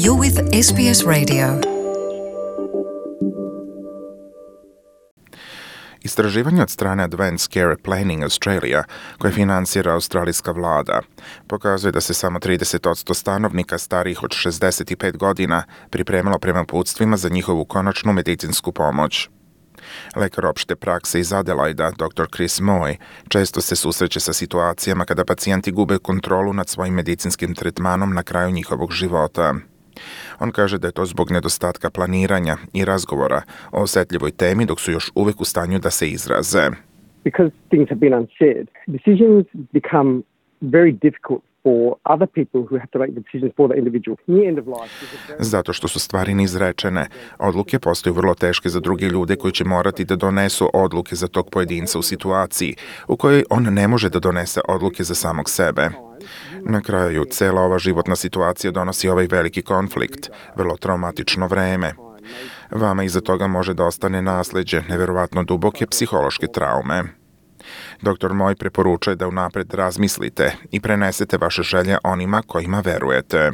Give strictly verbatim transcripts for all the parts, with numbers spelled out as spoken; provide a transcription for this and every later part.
You're with S B S Radio. Istraživanje od strane Advanced Care Planning Australia, koje finansira australijska vlada, pokazuje da se samo trideset posto stanovnika starijih od šezdeset pet godina pripremilo prema uputstvima za njihovu konačnu medicinsku pomoć. Lekar opšte prakse iz Adelaida, doktor Chris Moy, često se susreće sa situacijama kada pacijenti gube kontrolu nad svojim medicinskim tretmanom na kraju njihovog života. On kaže da je to zbog nedostatka planiranja i razgovora o osjetljivoj temi dok su još uvijek u stanju da se izraze. Because things have been unsaid, decisions become very difficult for other people who have to make the decisions for the individual. Near end of life is a very... Zato što su stvari neizrečene, odluke postaju vrlo teške za druge ljude koji će morati da donesu odluke za tog pojedinca u situaciji u kojoj on ne može da donese odluke za samog sebe. Na kraju, cela ova životna situacija donosi ovaj veliki konflikt, vrlo traumatično vreme. Vama iza toga može da ostane nasleđe neverovatno duboke psihološke traume. Doktor Moy preporučuje da unapred razmislite i prenesete vaše želje onima kojima verujete.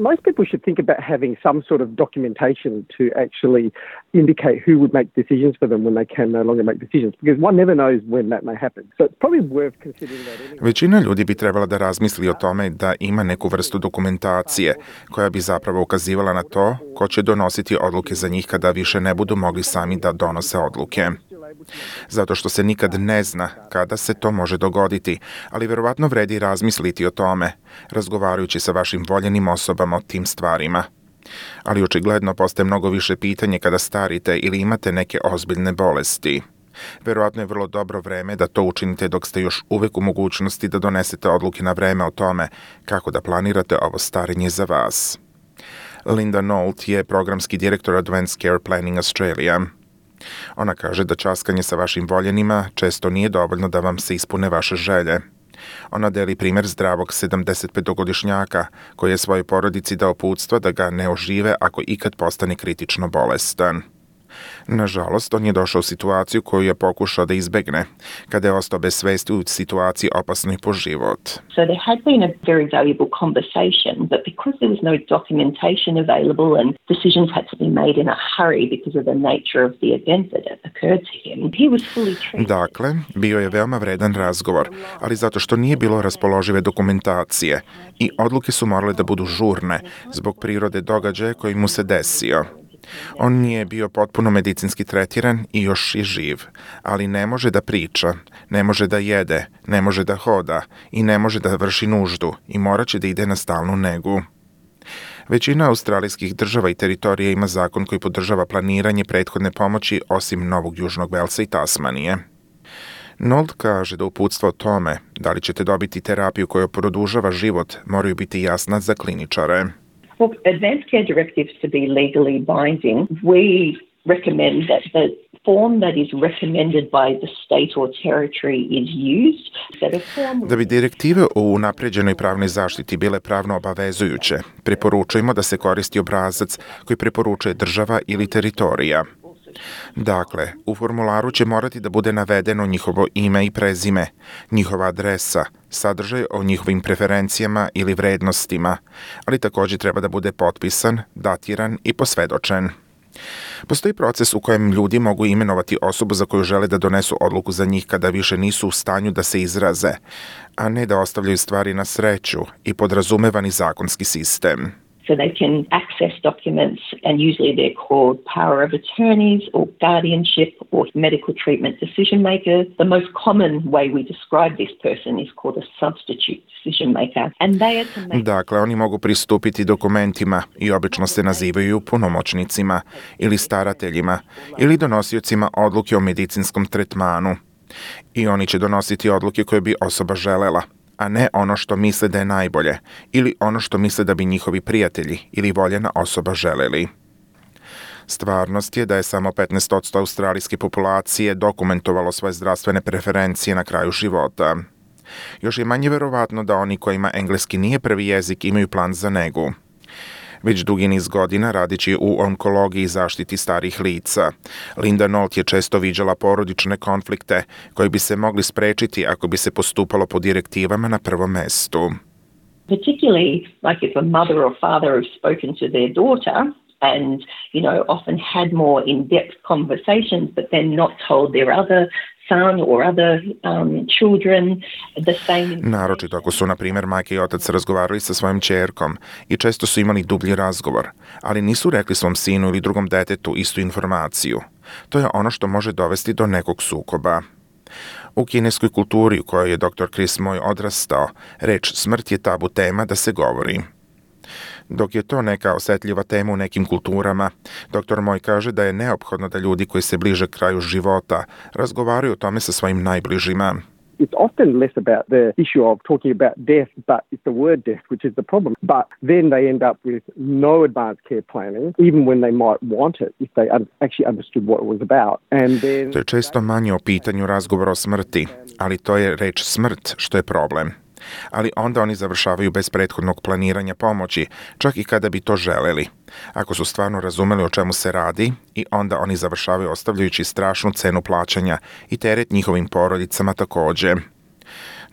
Most people should think about having some sort of documentation to actually indicate who would make decisions for them when they can no longer make decisions, because one never knows when that may happen. So it's probably worth considering that anyway. Većina ljudi bi trebala da razmisli o tome da ima neku vrstu dokumentacije koja bi zapravo ukazivala na to ko će donositi odluke za njih kada više ne budu mogli sami da donose odluke. Zato što se nikad ne zna kada se to može dogoditi, ali verovatno vredi razmisliti o tome, razgovarajući sa vašim voljenim osobama o tim stvarima. Ali očigledno postaje mnogo više pitanje kada starite ili imate neke ozbiljne bolesti. Verovatno je vrlo dobro vreme da to učinite dok ste još uvijek u mogućnosti da donesete odluke na vreme o tome kako da planirate ovo starenje za vas. Linda Nolt je programski direktor Advanced Care Planning Australia. Ona kaže da časkanje sa vašim voljenima često nije dovoljno da vam se ispune vaše želje. Ona deli primjer zdravog sedamdesetpetogodišnjaka koji je svojoj porodici dao uputstvo da ga ne ožive ako ikad postane kritično bolestan. Nažalost, on je došao u situaciju koju je pokušao da izbegne, kada je ostao bez svesti u situaciji opasnoj po život. So there had been a very valuable conversation, but because there was no documentation available and decisions had to be made in a hurry because of the nature of the event that occurred to him, he was fully treated. Dakle, bio je veoma vredan razgovor, ali zato što nije bilo raspoložive dokumentacije i odluke su morale da budu žurne zbog prirode događaja koji mu se desio. On nije bio potpuno medicinski tretiran i još je živ, ali ne može da priča, ne može da jede, ne može da hoda i ne može da vrši nuždu i morat će da ide na stalnu negu. Većina australijskih država i teritorija ima zakon koji podržava planiranje prethodne pomoći osim Novog Južnog Velsa i Tasmanije. Nolt kaže da uputstva o tome da li ćete dobiti terapiju koja produžava život moraju biti jasna za kliničare. For advanced care directives to be legally binding, we recommend that the form that is recommended by the state or territory is used. Da bi direktive o unapređenoj pravnoj zaštiti bile pravno obavezujuće, preporučujemo da se koristi obrazac koji preporučuje država ili teritorija. Dakle, u formularu će morati da bude navedeno njihovo ime i prezime, njihova adresa, sadržaj o njihovim preferencijama ili vrednostima, ali također treba da bude potpisan, datiran i posvedočen. Postoji proces u kojem ljudi mogu imenovati osobu za koju žele da donesu odluku za njih kada više nisu u stanju da se izraze, a ne da ostavljaju stvari na sreću i podrazumevani zakonski sistem. So they can access documents and usually they're called power of attorneys or guardianship or medical treatment decision makers. The most common way we describe this person is called a substitute decision maker. And they are to make... Dakle, oni mogu pristupiti dokumentima i obično se nazivaju punomoćnicima ili starateljima ili donosiocima odluke o medicinskom tretmanu. I oni će donositi odluke koje bi osoba želela, a ne ono što misle da je najbolje ili ono što misle da bi njihovi prijatelji ili voljena osoba želeli. Stvarnost je da je samo petnaest posto australijske populacije dokumentovalo svoje zdravstvene preferencije na kraju života. Još je manje verovatno da oni kojima engleski nije prvi jezik imaju plan za negu. Već dugi niz godina radići u onkologiji i zaštiti starih lica, Linda Nolt je često viđala porodične konflikte koji bi se mogli sprečiti ako bi se postupalo po direktivama na prvom mestu. Particularly, like if a mother or father have spoken to their daughter and, you know, often had more in-depth conversations, but then not told their other son or other um, children the same. Naročito ako su, na primjer, majka i otac razgovarali sa svojom ćerkom i često su imali dublji razgovor, ali nisu rekli svom sinu ili drugom detetu istu informaciju. To je ono što može dovesti do nekog sukoba. U kineskoj kulturi u kojoj je doktor Chris Moy odrastao, reč smrt je tabu tema da se govori. Dok je to neka osetljiva tema u nekim kulturama, doktor Moy kaže da je neophodno da ljudi koji se bliže kraju života razgovaraju o tome sa svojim najbližima. It's often less about the issue of talking about death, but it's the word death which is the problem. But then they end up with no advanced care planning, even when they might want it, if they un- actually understood what it was about. And then... To je često manje o pitanju razgovora o smrti, ali to je reč smrt što je problem. Ali onda oni završavaju bez prethodnog planiranja pomoći, čak i kada bi to želeli. Ako su stvarno razumeli o čemu se radi, i onda oni završavaju ostavljajući strašnu cenu plaćanja i teret njihovim porodicama takođe.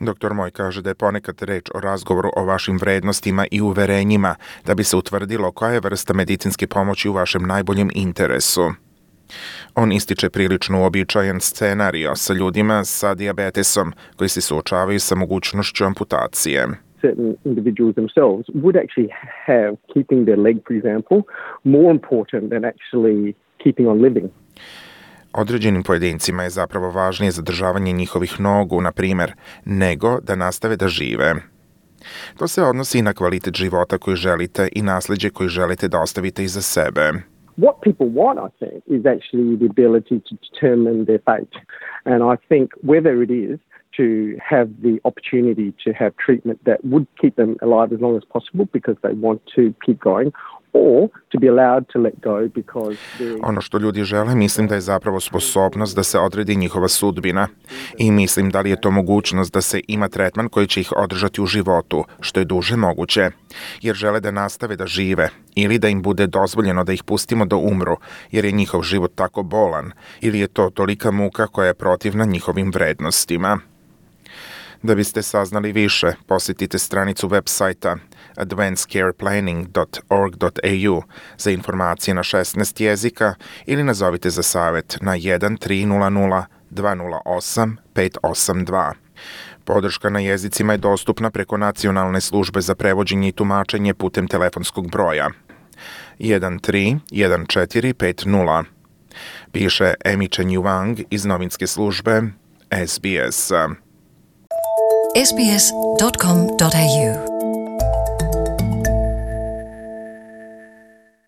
doktor Moy kaže da je ponekad reč o razgovoru o vašim vrednostima i uverenjima da bi se utvrdilo koja je vrsta medicinske pomoći u vašem najboljem interesu. On ističe prilično uobičajen scenario sa ljudima sa dijabetesom koji se suočavaju sa mogućnošću amputacije. Certain individuals themselves would actually have keeping their leg, for example, more important than actually keeping on living. Određenim pojedincima je zapravo važnije zadržavanje njihovih nogu, na primjer, nego da nastave da žive. To se odnosi i na kvalitet života koji želite i nasljeđe koji želite da ostavite iza sebe. What people want, I think, is actually the ability to determine their fate. And I think whether it is to have the opportunity to have treatment that would keep them alive as long as possible because they want to keep going, or to be allowed to let go because ono što ljudi žele, mislim da je zapravo sposobnost da se odredi njihova sudbina. I mislim da li je to mogućnost da se ima tretman koji će ih održati u životu, što je duže moguće. Jer žele da nastave da žive, ili da im bude dozvoljeno da ih pustimo da umru, jer je njihov život tako bolan, ili je to tolika muka koja je protivna njihovim vrednostima. Da biste saznali više, posjetite stranicu web sajta advanced care planning dot org dot a u za informacije na šesnaest jezika ili nazovite za savjet na jedan tri nula nula dva nula osam pet osam dva. Podrška na jezicima je dostupna preko Nacionalne službe za prevođenje i tumačenje putem telefonskog broja jedan tri jedan četiri pet nula. Piše Amy Chen Yuang iz novinske službe S B S. S B S dot com dot a u